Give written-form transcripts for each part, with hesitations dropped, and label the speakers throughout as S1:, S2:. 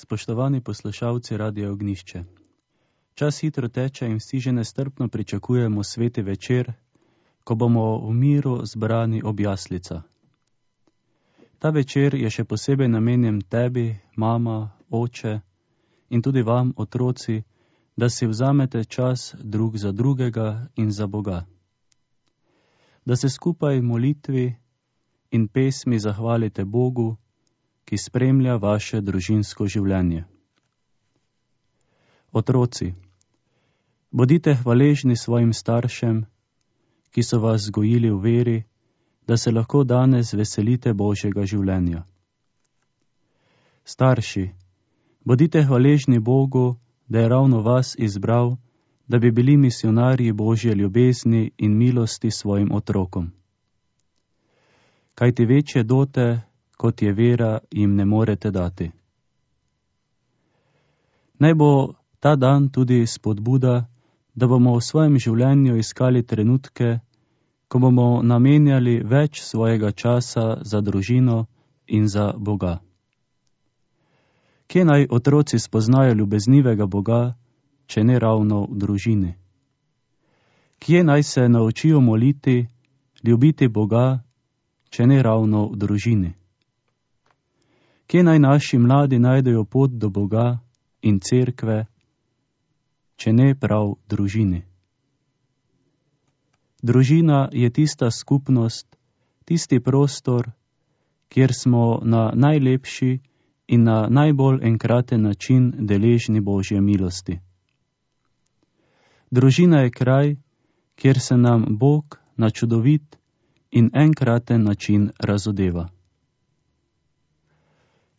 S1: Spoštovani poslušalci Radia Ognjišče. Čas hitro teče in vsi že nestrpno pričakujemo sveti večer, ko bomo v miru zbrani ob jaslicah. Ta večer je še posebej namenjen tebi, mama, oče in tudi vam, otroci, da si vzamete čas drug za drugega in za Boga. Da se skupaj v molitvi in pesmi zahvalite Bogu, ki spremlja vaše družinsko življenje. Otroci, bodite hvaležni svojim staršem, ki so vas vzgojili v veri, da se lahko danes veselite Božjega življenja. Starši, bodite hvaležni Bogu, da je ravno vas izbral, da bi bili misionarji Božje ljubezni in milosti svojim otrokom. Kajti večje dote, kot je vera, jim ne morete dati. Naj bo ta dan tudi spodbuda, da bomo v svojem življenju iskali trenutke, ko bomo namenjali več svojega časa za družino in za Boga. Kje naj otroci spoznajo ljubeznivega Boga, če ne ravno v družini? Kje naj se naučijo moliti, ljubiti Boga, če ne ravno v družini? Kje naj naši mladi najdejo pot do Boga in cerkve, če ne prav v družini? Družina je tista skupnost, tisti prostor, kjer smo na najlepši in na najbolj enkraten način deležni Božje milosti. Družina je kraj, kjer se nam Bog na čudovit in enkraten način razodeva.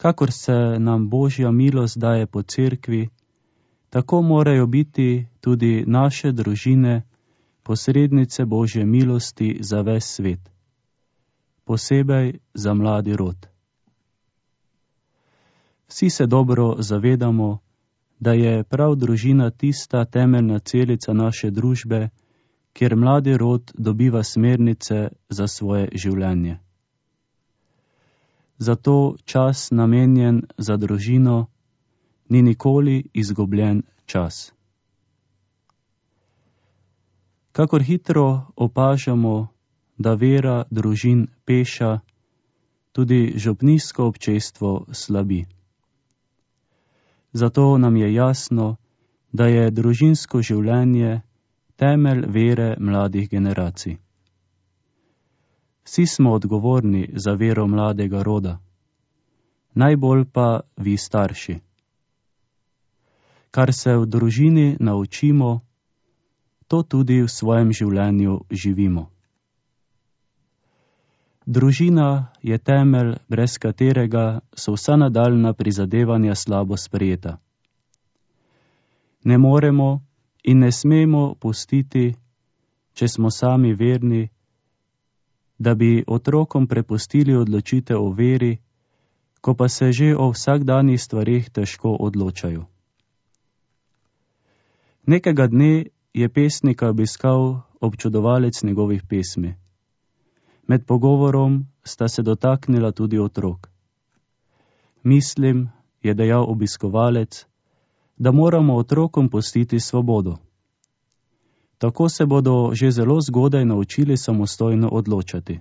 S1: Kakor se nam Božja milost daje po cerkvi, tako morajo biti tudi naše družine posrednice Božje milosti za ves svet, posebej za mladi rod. Vsi se dobro zavedamo, da je prav družina tista temeljna celica naše družbe, kjer mladi rod dobiva smernice za svoje življenje. Zato čas namenjen za družino ni nikoli izgubljen čas. Kakor hitro opažamo, da vera družin peša, tudi župnijsko občestvo slabi. Zato nam je jasno, da je družinsko življenje temelj vere mladih generacij. Vsi smo odgovorni za vero mladega roda, najbolj pa vi starši. Kar se v družini naučimo, to tudi v svojem življenju živimo. Družina je temelj, brez katerega so vsa nadaljna prizadevanja slabo sprejeta. Ne moremo in ne smemo pustiti, če smo sami verni, da bi otrokom prepustili odločitev o veri, ko pa se že o vsakdanjih stvareh težko odločajo. Nekega dne je pesnika obiskal občudovalec njegovih pesmi. Med pogovorom sta se dotaknila tudi otrok. Mislim, je dejal obiskovalec, da moramo otrokom pustiti svobodo. Tako se bodo že zelo zgodaj naučili samostojno odločati.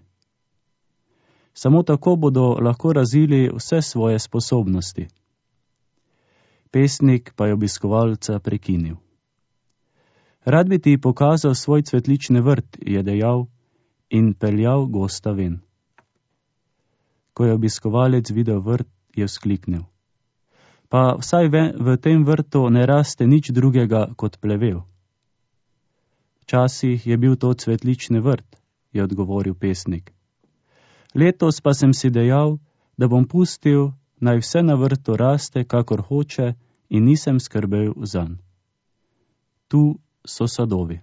S1: Samo tako bodo lahko razvili vse svoje sposobnosti. Pesnik pa je obiskovalca prekinil. Rad bi ti pokazal svoj cvetlični vrt, je dejal in peljal gosta ven. Ko je obiskovalec videl vrt, je vzkliknil. Pa vsaj v tem vrtu ne raste nič drugega kot plevel. Včasih je bil to cvetlični vrt, je odgovoril pesnik. Letos pa sem si dejal, da bom pustil, naj vse na vrtu raste, kakor hoče, in nisem skrbel zanj. Tu so sadovi.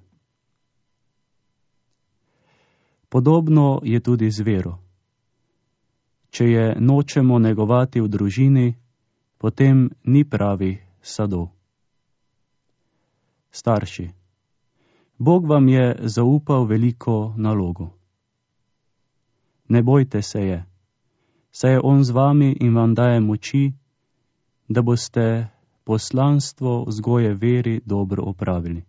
S1: Podobno je tudi z vero. Če je nočemo negovati v družini, potem ni pravih sadov. Starši, Bog vam je zaupal veliko nalogo. Ne bojte se je, saj je on z vami in vam daje moči, da boste poslanstvo vzgoje veri dobro opravili.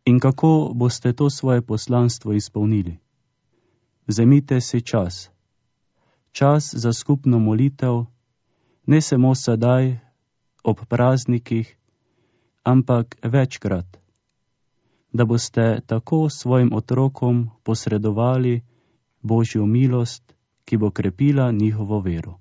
S1: In kako boste to svoje poslanstvo izpolnili? Vzemite si čas. Čas za skupno molitev, ne samo sedaj, ob praznikih, ampak večkrat, da boste tako svojim otrokom posredovali Božjo milost, ki bo krepila njihovo vero.